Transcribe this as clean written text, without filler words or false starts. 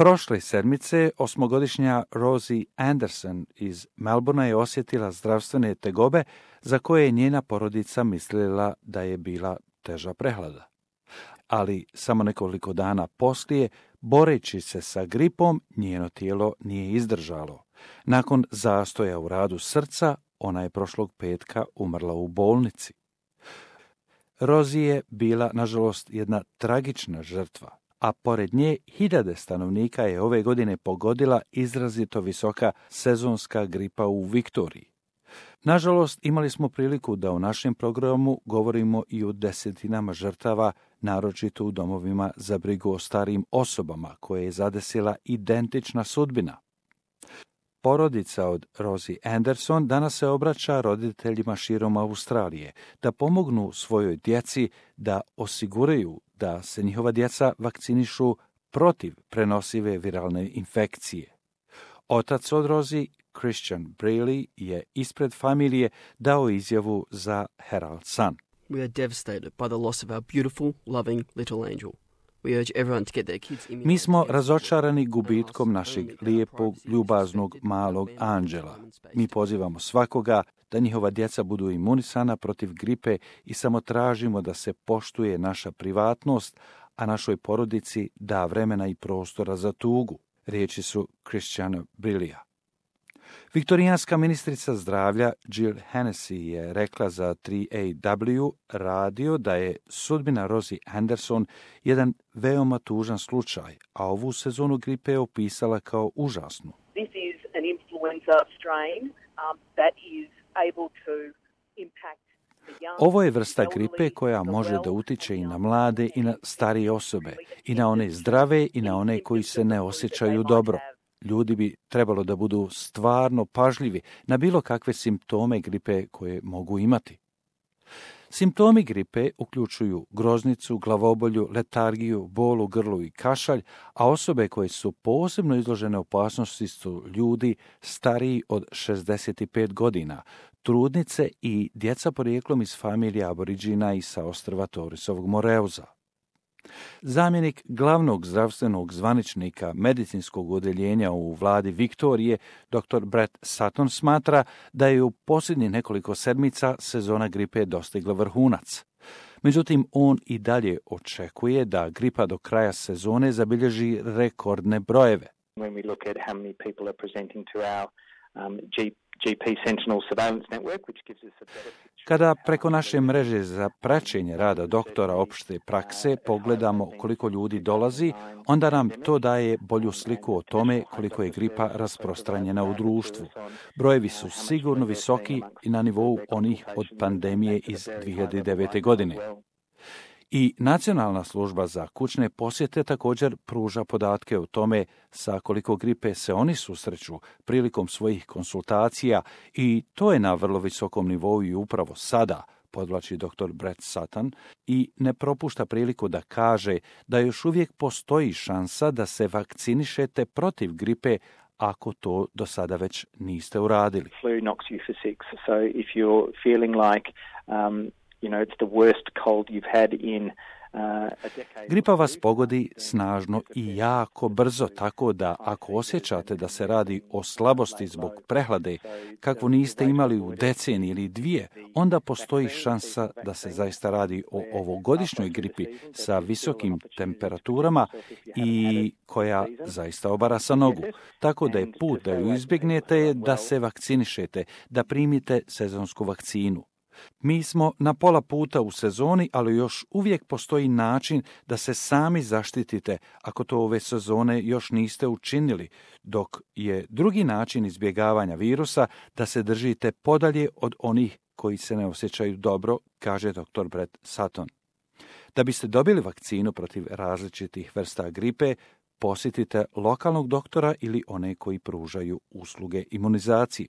Prošle sedmice 8-godišnja Rosie Anderson iz Melbourna je osjetila zdravstvene tegobe za koje je njena porodica mislila da je bila teža prehlada. Ali samo nekoliko dana poslije, boreći se sa gripom, njeno tijelo nije izdržalo. Nakon zastoja u radu srca, ona je prošlog petka umrla u bolnici. Rosie je bila, nažalost, jedna tragična žrtva, a pored nje hiljade stanovnika je ove godine pogodila izrazito visoka sezonska gripa u Viktoriji. Nažalost, imali smo priliku da u našem programu govorimo i o desetinama žrtava, naročito u domovima za brigu o starijim osobama, koje je zadesila identična sudbina. Porodica od Rosie Anderson danas se obraća roditeljima širom Australije da pomognu svojoj djeci da osiguraju da se njihova djeca vakcinišu protiv prenosive viralne infekcije. Otac od Rosie, Christian Braley, je ispred familije dao izjavu za Herald Sun. We are devastated by the loss of our beautiful, loving little angel. We urge everyone to get their kids immunized. Mi smo razočarani gubitkom našeg lijepog, ljubaznog, malog anđela. Mi pozivamo svakoga da njihova djeca budu imunisana protiv gripe i samo tražimo da se poštuje naša privatnost, a našoj porodici da vremena i prostora za tugu. Riječi su Christiana Braleya. Viktorijanska ministrica zdravlja Jill Hennessy je rekla za 3AW radio da je sudbina Rosie Anderson jedan veoma tužan slučaj, a ovu sezonu gripe je opisala kao užasnu. This is an influenza strain that is able to impact the young. Ovo je vrsta gripe koja može da utiče i na mlade i na starije osobe, i na one zdrave i na one koji se ne osjećaju dobro. Ljudi bi trebalo da budu stvarno pažljivi na bilo kakve simptome gripe koje mogu imati. Simptomi gripe uključuju groznicu, glavobolju, letargiju, bol u grlu i kašalj, a osobe koje su posebno izložene opasnosti su ljudi stariji od 65 godina, trudnice i djeca porijeklom iz familije aboriđina i sa ostrva Torresovog Moreuza. Zamjenik glavnog zdravstvenog zvaničnika medicinskog odeljenja u vladi Viktorije, dr. Brett Sutton, smatra da je u posljednjih nekoliko sedmica sezona gripe dostigla vrhunac. Međutim, on i dalje očekuje da gripa do kraja sezone zabilježi rekordne brojeve. When we look at how many people are presenting to our GP Sentinel surveillance network, which gives us a better picture. Kada preko naše mreže za praćenje rada doktora opšte prakse pogledamo koliko ljudi dolazi, onda nam to daje bolju sliku o tome koliko je gripa rasprostranjena u društvu. Brojevi su sigurno visoki i na nivou onih od pandemije iz 2009. godine. I Nacionalna služba za kućne posjete također pruža podatke o tome sa koliko gripe se oni susreću prilikom svojih konsultacija i to je na vrlo visokom nivou i upravo sada, podvlači dr. Brett Sutton, i ne propušta priliku da kaže da još uvijek postoji šansa da se vakcinišete protiv gripe ako to do sada već niste uradili. Flu knocks you for six, so if you're feeling like it's the worst cold you've had in a decade. Gripa vas pogodi snažno i jako brzo, tako da ako osjećate da se radi o slabosti zbog prehlade, kakvu niste imali u deceniji ili dvije, onda postoji šansa da se zaista radi o ovogodišnjoj gripi sa visokim temperaturama i koja zaista obara sa nogu. Tako da je put da ju izbjegnete da se vakcinišete, da primite sezonsku vakcinu. Mi smo na pola puta u sezoni, ali još uvijek postoji način da se sami zaštitite ako to ove sezone još niste učinili, dok je drugi način izbjegavanja virusa da se držite podalje od onih koji se ne osjećaju dobro, kaže dr. Brett Sutton. Da biste dobili vakcinu protiv različitih vrsta gripe, posjetite lokalnog doktora ili one koji pružaju usluge imunizacije.